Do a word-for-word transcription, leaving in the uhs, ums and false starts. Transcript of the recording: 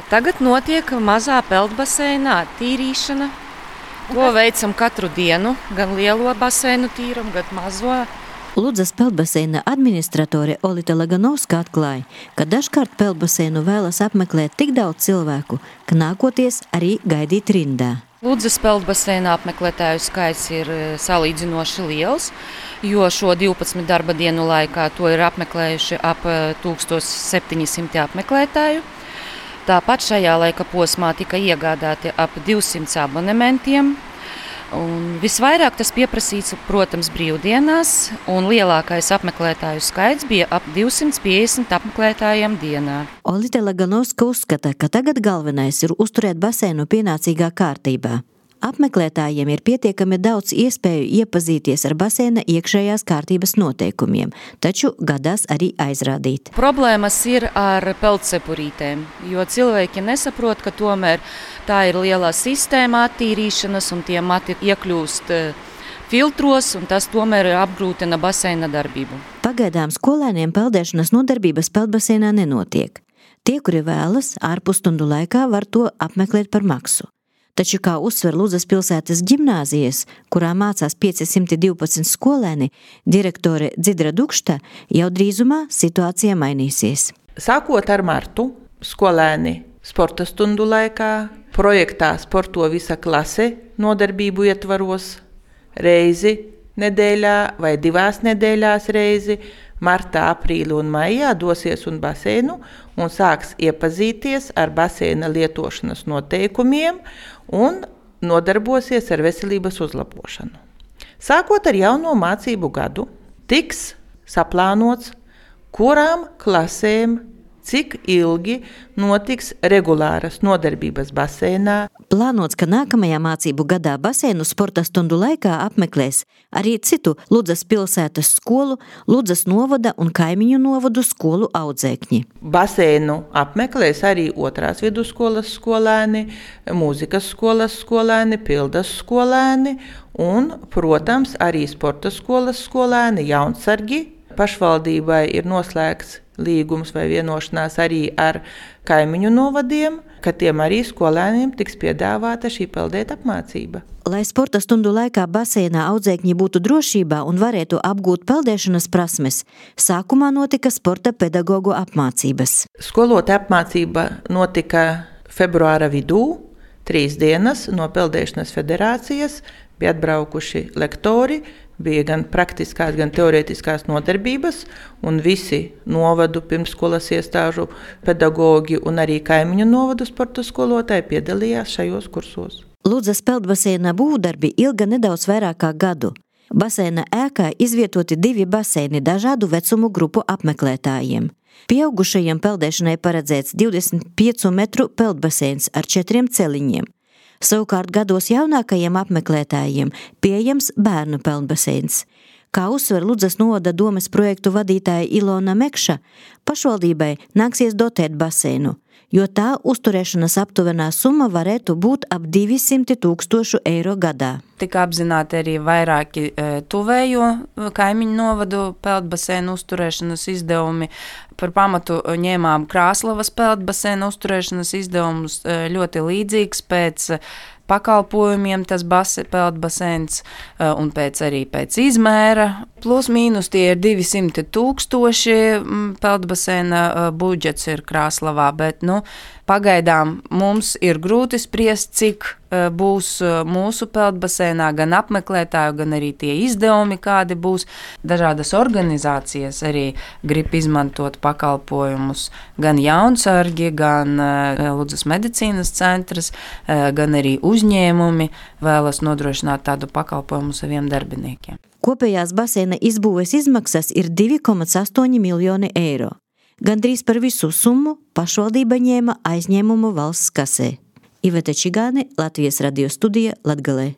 Tagad notiek mazā peldbaseinā tīrīšana. To veicam katru dienu, gan lielo baseinu tīram, gan mazo. Ludzas peldbaseina administratore Olita Laganovska atklāja, ka dažkārt peldbaseinu vēlas apmeklēt tik daudz cilvēku, ka nākoties arī gaidīt rindā. Ludzas peldbaseina apmeklētāju skaits ir salīdzinoši liels, jo šo divpadsmit darba dienu laikā to ir apmeklējuši ap tūkstoš septiņi simti apmeklētāju. Tāpat šajā laika posmā tika iegādāti ap divsimt abonementiem. Un visvairāk tas pieprasīts, protams, brīvdienās, un lielākais apmeklētāju skaits bija ap divsimt piecdesmit apmeklētājiem dienā. Olita Laganovska uzskata, ka tagad galvenais ir uzturēt baseinu pienācīgā kārtībā. Apmeklētājiem ir pietiekami daudz iespēju iepazīties ar baseina iekšējās kārtības noteikumiem, taču gadās arī aizrādīt. Problēmas ir ar peldcepurītēm, jo cilvēki nesaprot, ka tomēr tā ir lielā sistēma attīrīšanas un tie mati iekļūst filtros un tas tomēr apgrūtina baseina darbību. Pagaidām skolēniem peldēšanas nodarbības peldbaseinā nenotiek. Tie, kuri vēlas, ārpusstundu laikā var to apmeklēt par maksu. Taču, kā uzsver Ludzas pilsētas ģimnāzijas, kurā mācās piecsimt divpadsmit skolēni, direktore Dzidra Dukšta, jau drīzumā situācija mainīsies. Sākot ar martu, skolēni sporta stundu laikā, projektā Sporto visa klase nodarbību ietvaros reizi nedēļā vai divās nedēļās reizi, martā, aprīli un maijā dosies un baseinu un sāks iepazīties ar baseina lietošanas noteikumiem un nodarbosies ar veselības uzlabošanu. Sākot ar jauno mācību gadu, tiks saplānots, kurām klasēm cik ilgi notiks regulāras nodarbības baseinā. Plānots, ka nākamajā mācību gadā baseinu sporta stundu laikā apmeklēs arī citu Ludzas pilsētas skolu, Ludzas novada un kaimiņu novadu skolu audzēkņi. Baseinu apmeklēs arī otrās vidusskolas skolēni, mūzikas skolas skolēni, pildas skolēni un, protams, arī sporta skolas skolēni, jaunsargi. Pašvaldībai ir noslēgts līgums vai vienošanās arī ar kaimiņu novadiem, ka tiem arī skolēniem tiks piedāvāta šī peldēt apmācība. Lai sporta stundu laikā baseinā audzēkņi būtu drošībā un varētu apgūt peldēšanas prasmes, sākumā notika sporta pedagogu apmācības. Skolotāja apmācība notika februāra vidū, trīs dienas no Peldēšanas federācijas, bija atbraukuši lektori, bija gan praktiskās, gan teorētiskās nodarbības, un visi novadu pirmsskolas iestāžu pedagogi un arī kaimiņu novadu sporta skolotāji piedalījās šajos kursos. Ludzas peldbaseina būvdarbi ilga nedaudz vairāk kā gadu. Baseina ēkā izvietoti divi baseini dažādu vecumu grupu apmeklētājiem. Pieaugušajiem peldēšanai paredzēts divdesmit piecu metru peldbaseins ar četriem celiņiem. Savukārt gados jaunākajiem apmeklētājiem pieejams bērnu peldbaseins. Kā uzsver Ludzas novada domes projektu vadītāja Ilona Mekša, pašvaldībai nāksies dotēt baseinu, jo tā uzturēšanas aptuvenā summa varētu būt ap divsimt tūkstošu eiro gadā. Tika apzināti arī vairāki tuvējo kaimiņu novadu peldbaseinu uzturēšanas izdevumi. Par pamatu ņēmām Krāslavas peldbaseinu uzturēšanas izdevumus ļoti līdzīgs pēc pakalpojumiem tas base, peldbaseins un pēc arī pēc izmēra. Plus mīnus tie ir divsimt tūkstoši peldbaseina budžets ir Krāslavā, bet nu, pagaidām mums ir grūti spriest, cik būs mūsu peldbaseinā gan apmeklētāju, gan arī tie izdevumi, kādi būs. Dažādas organizācijas arī grib izmantot pakalpojumus, gan jaunsargi, gan Ludzas medicīnas centrs, gan arī uzņēmumi vēlas nodrošināt tādu pakalpojumu saviem darbiniekiem. Kopējās baseina izbūves izmaksas ir divi komats astoņi miljoni eiro. Gandrīz par visu summu pašvaldība ņēma aizņēmumu valsts kasē. Iveta Čigāne, Latvijas radio studija, Latgalē.